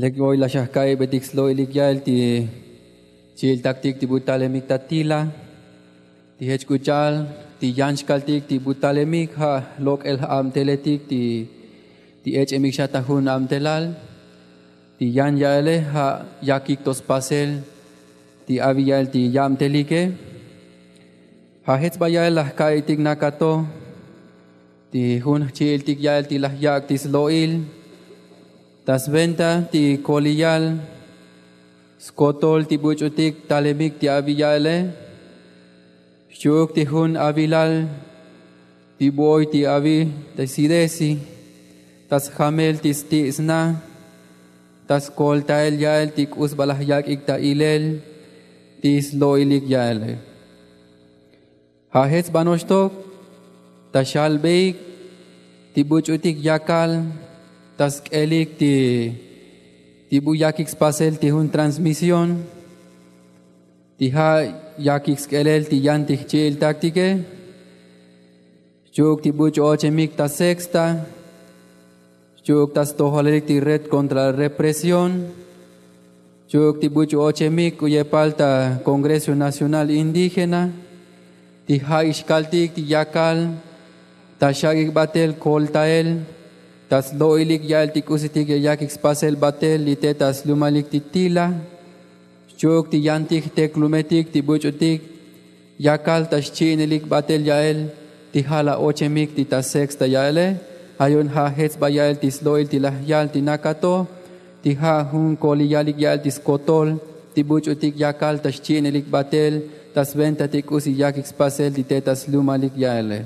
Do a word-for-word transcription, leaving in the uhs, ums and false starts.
Lek oy la xajka'ibetik slo'ilik ya'el ti chi'iltaktik ti bu talemik ta tila. Ti jech k'u cha'al ti yan xkaltik ti bu talemik ja' lok'el j'abteletik ti ti ech'emik xa ta jun abtelal. Ti yan ya'ele ja' yakik to spasel ti abi ya'el ti yabtelike. Ja' jech sba ya'el laj ka'itik nakato ti jun jchi'iltik ya'el ti laj yak' ti slo'il ta sventa ti koliyal skotol ti buch'utik talemik ti abi ya'ele. Xchi'uk ti jun avilal ti bu oy ti abi ta sidesi ta sjamel ti sti' sna ta skoltael ya'el ti k'u sba laj yak'ik ta ilel ti slo'ilik ya'ele. Ja' jech sba noxtok ta xalbeik ti buch'utik yakal ta sk'elik ti ti bu yakik spasel ti jun transmision ti ja' yakik sk'elel ti yan ti jchi'iltaktike. Xchi'uk ti buch'u ochemik ta sexta xchi'uk ta stojalelik ti red kontra represión. Xchi'uk ti buch'u ochemik k'u yepal ta kongreso nacional indígena ti ja'ik xkaltik ti yakal ta xak'ik batel koltael ta slo'ilik ya'el ti k'usitik ya yakik spasel batel li te ta slumalik ti tila. Xchi'uk ti yantik jteklumetik ti buch'utik yakal ta xchi'inelik batel ya'el ti ja' la ochemik ti ta sexta ya'ele. Ja' yu'un ja' jech sba ya'el ti slo'il ti laj yal ti nakato ti ja' jun koliyalik ya'el ti skotol ti buch'utik yakal ta xchi'inelik batel ta sventa ti k'usi yakik spasel ti te ta slumalik ya'ele.